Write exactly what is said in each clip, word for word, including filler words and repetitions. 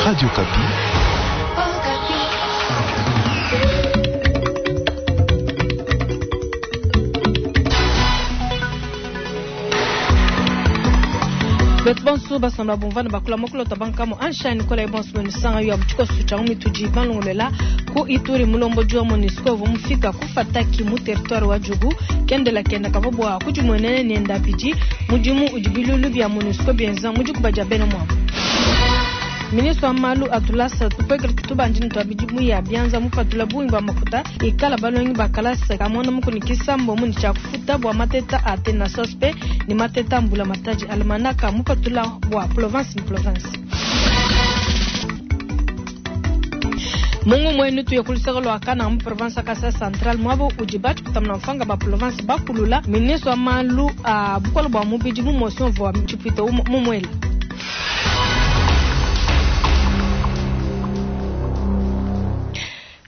Radio Okapi. Betu bonso basamba bumvana bakula mokulota bankamo anshani kola ibonso benisanga yo abuchiko sucha mitudi balongolela ku Ituri mulombo wa MONUSCO vumufika kufataki mu territoire wa Djugu kendela kenda kavobwa kujimwenene nenda pidi mudimu udibilulu bya MONUSCO bienza mujikuba dia bena mwabo. Ministre wa malu atulasa tupwekele tubanjini twabidi muya byanza mupatula bungi bwa makuta ikala balongi bakalasa kamona mukunikisa mbomu ni chakufuta bwa mateta ate na sospe ni mateta mbula mataji almanaka mupatula bwa province ni province. Mungu mwenu tuye kulisaka lwa mu province Kasai Central mwabo ujibachi kutamna mfanga ba province bakulula ministre wa malu a bukolo bwa mubidi mu motion vwa chipito mumwela.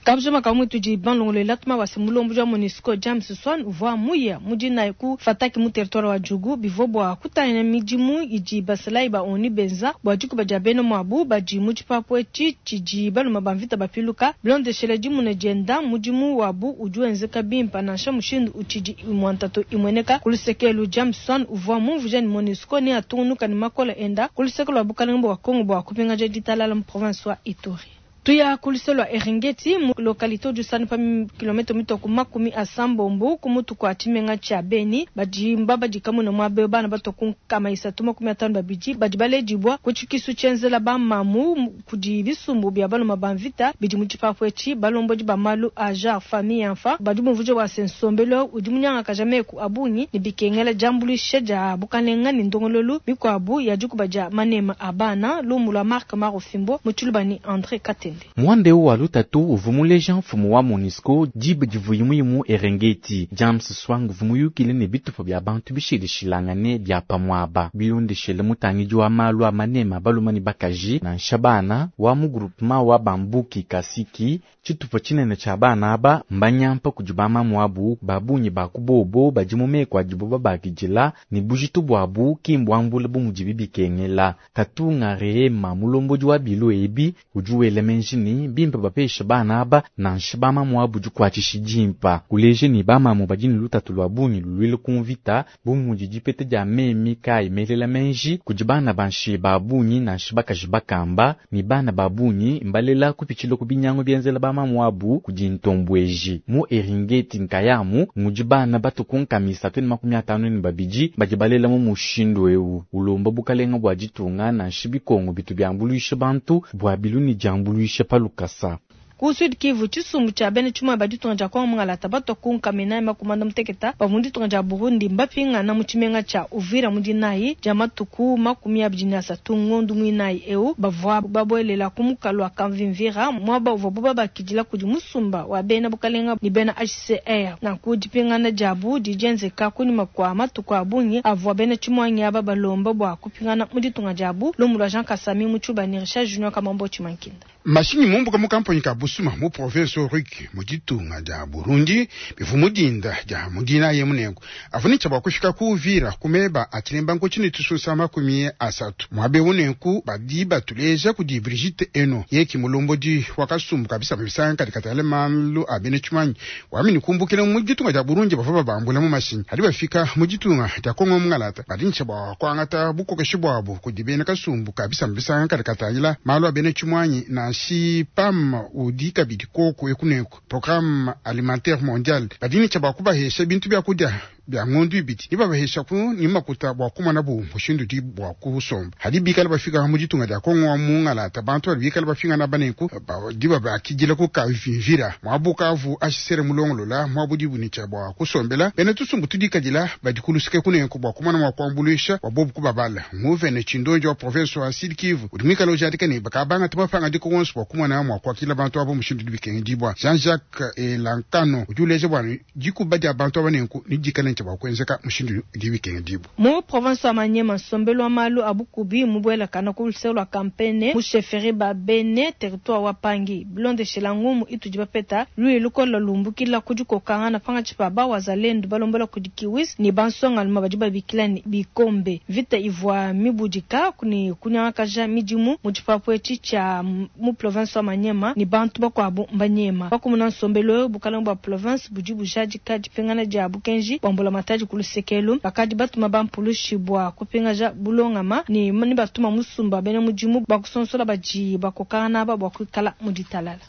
Kabjuma kamwe tuji banlongole latma wa simulombo ja MONUSCO James Swan uvwa muya mujina ku fataki mu territoire wa Djugu bivobwa kutanya midimu iji basalai ba oni benza bwa juku ba beno mwabu baji muchipapo chi baluma bamvita bapiluka blonde shele dimune jenda mudimu wabu ujuenzeka bimpa nansha mushindu uchiji imwantato imweneka kulusekelu James Swan uvwa mumvuja ni MONUSCO ni atunuka ni makola enda kulusekelu wa bukalengo wa Kongo bwa kupinga jaditalala mu province wa Ituri. Tuya kuliselwa Eringeti mu localité du San pa kilomètre mitoko makumi asambombo kumutu kwa chimenga cha Beni baji mbaba jikamuna mwabe bana batoku kama isatu makumi atano babiji baji balejibwa kuchikisu chenzela ba mamu kudi bisumbu bya bano mabamvita bidi muchipapwe chi balomboji ba malu aja famille enfa badi muvuje wa sensombelo udi munyanga kajameku abungi ni bikengela jambulishe ja bukalenga ni ndongololu mikwabu ya jukubaja manema abana lumula Mark Marofimbo muchulubani André Katende. Mwande wa lutatu uvumuleja mfumu wa MONUSCO jibe divuyimuyimu Eringeti James Swang vumuyukile ne bitupa bya bantu bishilishilangane bya pamwaba bilondeshele mutangiji wa malu a manema balumani bakaji na nshabana wa mu groupement wa bambuki kasiki tshitupa tshinene tsha bana aba mbanyampa kudi mamamu babunyi bakubobo badi mu meko adibo babakidila ne bujitu bwabu kimbwambula bumudibi bikengela katunga rehema mulombodi wa bilo ebi udi wela menjini bimpa bapesha bana aba nansha bamamu abu dikuatshisha dimpa kuleje ni bamamu badi ne lutatu lwa bungi luluile kumvita bumudi dipete dia memi kayi melela menji kudi bana banshi babunyi nansha bakaji bakamba ni bana babunyi mbalela kupitshila ku binyango bienzela bamamu abu kudi ntombweji mu Eringeti nkayamu mudi bana batukunkamisa tweni makumi atano ni babidi badi balela mu mushindu ewu ulomba bukalenga bwa ditunga nansha bikongo bitu biambuluisha bantu bwa bilu ni diambuluisha palukasa. Ku Sud Kivu chisumbu cha bene chuma baditunga ja kwa mungala tabato kunkamina makumanda muteketa bavundi tunga ja Burundi mbapinga na muchimenga cha Uvira mudinayi ja matuku makumi abidi na asatu ngondu mwinayi eu bavwa babwelela kumukalwa kamvimvira mwaba uvwa boba bakidila kudi musumba wa bena bukalenga ni bena H C R na kudipingana jabu dijenzeka kunyuma kwa matuku abunyi avwa bene chimwanyi aba balomba bwa kupingana muditunga jabu lomulwa Jean Kasami muchuba ni Richard Junior Kamambo Chimankinda. Mashinyi mumbuka mu kamponyi ka Busuma mu province Ruk mu ditunga dia Burundi bivu mudinda dia mudina ye munengo avunica bwa kushika ku Uvira kumeba atilemba nko tususa makumi asatu mwabe unenku badi batuleja kudi Brigitte Eno yeki mulombodi wakasumbu kabisa mabisanga katikatale malu abene chumanyi wamini kumbukile mu ditunga dia Burundi bava babambula mu mashinyi hadi bafika mu ditunga dia Kongo mungalata badincha bwa kwangata bukokeshi bwabo kudi bene kasumbu kabisa mabisanga katikatale malu abene chumanyi na si PAM udi kabidi koko ekuneko programme alimentaire mondial badini cha bakubahesha bintu bya kudya bya ngondu ibiti nibabahesha ku nimakuta bwa kumana bu mushindu di bwa kusomba hadi bikala bafika mu ditunga dia Kongo wa mungalata bantu bali bikala bafinga na banenku diba bakijila ku kavivira mwabukavu ashisere mulongolola mwabudi bunicha bwa kusombela bene tusumbu tudikadila badikulusike kunenku bwa kumana mwa kuambulisha wa bobu kubabala nguvene chindonjo wa province wa Sud Kivu udimikala ujadika ne bakabanga tubafanga diko wonso bwa kumana mwa kwakila bantu abo mushindu dibikenge dibwa Jean-Jacques Elankano ujuleje bwana dikuba dia bantu abanenku nidikala ne bua kuenzeka mushindu udi bikengedibua. Mu province wa Maniema, nsombelu wa malu a bukubi mubuelakana ku luseke lua Kampene mu chefferie ba Bene, territoire wa Pangi. Bilondeshela ngumu itudi bapeta, luya lukola lumbukila ku dikokangana pankatshi pa ba wazalendu balombola kudi Kiwis ne ba nsongaluma badi babikila ne Bikombe. Mvita ivua mibudika ne kunyangakaja midimu mu tshipapu etshi tshia mu province wa Maniema ne bantu bakuabu mbanyema. Pakumuna nsombelu eu, bukalenge bua province budi bujadika dipingana dia bukenji bua mbulamatadi ku lusekelu. Bakadi batuma bampulushi bua kupingaja bulongama ne ne batuma musumba bena mudimu bua kusonsola badi bakokangana aba bua kuikala mu ditalala.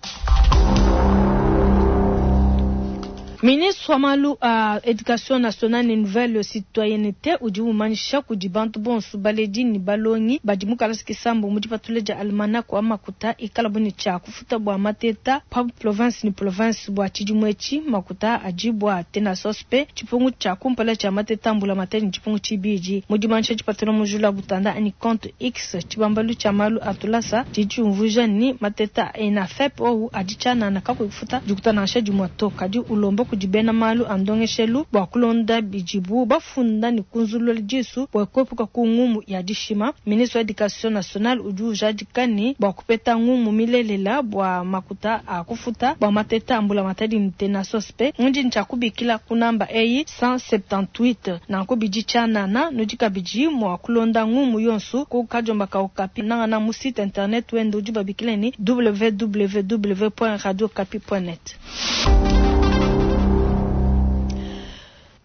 Ministre wa malu a Education nationale ne nouvelle citoyenneté udi umanyisha kudi bantu bonso baledi ne balongi badi mu kalasa kisambu mu dipatula dia almanach wa makuta ikala bu ne tshia kufuta bua mateta pa province ne province bua tshidimu etshi makuta adi bua tenasospe tshipungu tshia kumpala tshia mateta mbula mateta ne tshipungu tshibidi mu dimanyisha dipatula mu jula butanda ani compte X tshibambalu tshia malu a tulasa tshidi tshiumvuija ni mateta ENAFEP ou adi tshianana kakuyi kufuta dikuta nansha dimue to kadi ulomba kudi bena malu a ndongeshelu bua kulonda bidibu bafunda ne kunzulula disu bua kuepuka ku ngumu ya dishima. Ministre wa Education nationale udi ujadika ne bua kupeta ngumu milelela bua makuta a kufuta bua mateta a mbulamatadi ne tenasospe ndi ntshia ku namba eyi cent soixante-dix-huit nanku bidi tshianana nudi kabidi mua kulonda ngumu yonso ku kadiomba ka Okapi nangana mu site internet wende udi babikila ni w w w point radio okapi point net.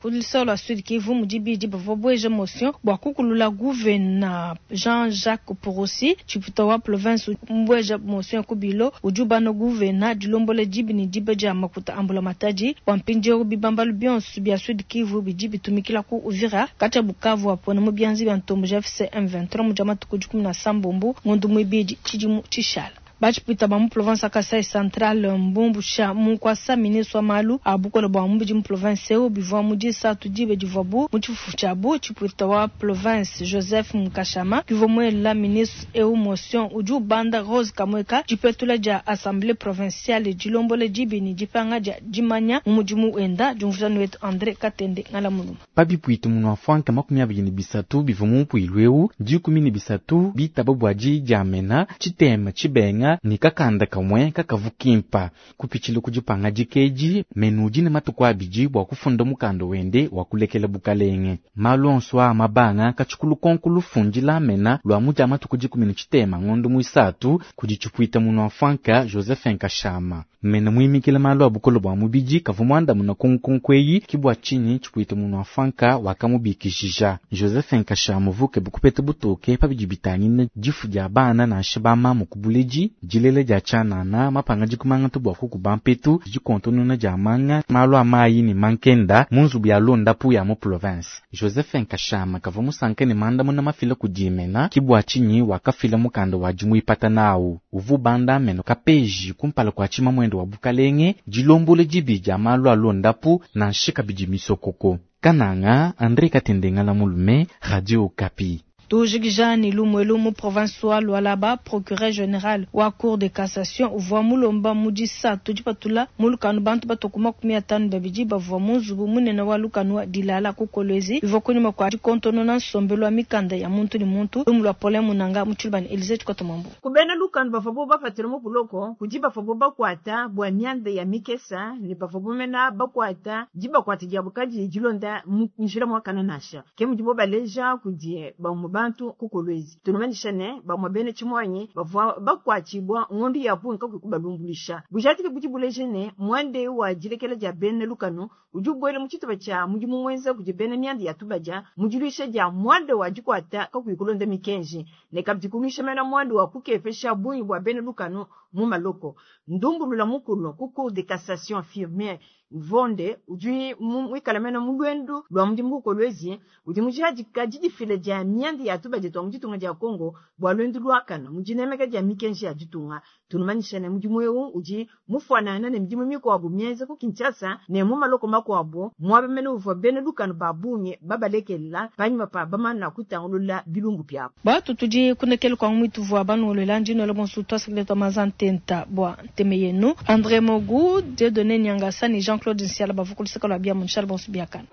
Kulisolo wa Sud Kivu mudibidi bavua bweja motion bua kukulula gouverneur Jean-Jacques Purusi chiputa wa province mbweja motion kubilo ujubano gouverneur dilombola dibi ni diba dia makuta ambula matadi bua mpindieu bibambalu bionso bia Sud Kivu bidi bitumikila ku Uvira kati ya Bukavu apona mu bianzi bia ntombo ja F C M vingt-trois mu dia matuku dikumi na sambombo ngondo muibidi tshidimu tshishala. Bachipita ba mu province ya Kasai Central mbumbusha munkwasa ministre wa malu a bukola bua mubidi mu province eu bivua mu disatu dibe divuabu mu tshifufu tshiabu tshipita wa province Joseph Mukashama bivua muela ministre eu motion udi ubanda Rose Kamweka dipetula dia assemblée provinciale dilombola dibi ni dipanga dia dimanya mu mudimu wenda diumvuja wetu André Katende ngala muluma. Pabipuitu munu afuanka makumi abiri ne bisatu bivua mu mpuilu eu dikumi ne bisatu bitaba bua dijamena tshitema tshibenga ni kakanda kamwe kakavukimpa kupitshila kudipanga dikeji menu dine matuku abidi bua kufunda mukanda wende wa kulekela bukalenge malu onso a mabanga katshikulu konku lufundila mena lwa mudia matuku dikumi ne tshitema ngondo muisatu kudi tshipuita munu afuanka Joseph Nkashama mena muimikila malu a bukolo bua mubidi kavua muandamuna kunkunkweyi kibua tshinyi tshipuita munu afuanka wakamubikishija Joseph Nkashama vuke bukupeta butoke pabidi bitangine difu dia bana nansha bamamu kubuledi dilele dia tshianana mapanga dikumanga tu bua kukuba mpetu dikontonona dia manga malu a mayi ne mankenda mu nzubu ya londapu ya mu province. Joseph Nkashama kavua musanke ne mandamuna mafila kudimena kibua tshinyi wakafila mukanda wa dimuipata nawu uvu banda meno kapeji kumpala kua tshima mwendo wa bukalenge dilombole dibi dia malu a londapu nansha kabidi misokoko. Kananga André Katende ngala mulume Radio Okapi. Tujikijani lumwelu mu province wa Lualaba, procureur général wa cour de cassation uvua mulomba mu disatu dipatula mu lukanu bantu batoku makumi atanu babidi bavua mu nzubu munene wa lukanu wa Dilala ku Kolwezi bivua kunyima kua dikontonona nsombelu wa mikanda ya muntu ne muntu lumu lua Paulin Munanga mu Tshilubani Elise Tshikotomambu. Kubena lukanu bavua bo bafatila mu buloko kudi bavua bo bakwata bua mianda ya mikesa ne bavua bomena bakwata dibakwata dia bukadi dilonda mu njila mwakana nasha ke mudibo baleja kudi bamu bantu ku Kolwezi tunumanisha ne bamwe bene tshimwanyi bavua bakwatshibwa ngondo ya bungi kakuyi kubalumbulisha bujatike budi buleje ne mwande wa dilekela dia bene lukanu udi ubwele mu tshitupa tshia mudimu mwenza kudi bene mianda ya tubadia mudiluisha dia mwande wa dikwata kakuyi kulonda mikenji ne kabidi kuluisha mena mwande wa kukepesha bungi bua bene lukanu mu maloko ndumbulula mukulu ku cour de cassation firme Vonde udi mwikala mena mu lwendu lwa mudimu ku Kolwezi udi mujadika didifila dia mianda ya tubadia twa mu ditunga dia Kongo bua lwendu lwakana mu dinemeka dia mikenji ya ditunga tunumanisha ne mudimu eu udi mufuanana ne midimu mikuabu mienza ku Kinshasa ne mu maloko makuabu muaba mene uvua bene lukanu ba bungi babalekelela panyima pa bamana kutangulula bilumbu biabu. Batu tudi kunekele kwa mwitu vua banuolola ndino bonso twasekele mazantenta bua nteme yenu André Mogu Dieudonné Nyangasa ni Jean-Claude Nsiala bavukulisaka lwa bia munshal bonso biakana.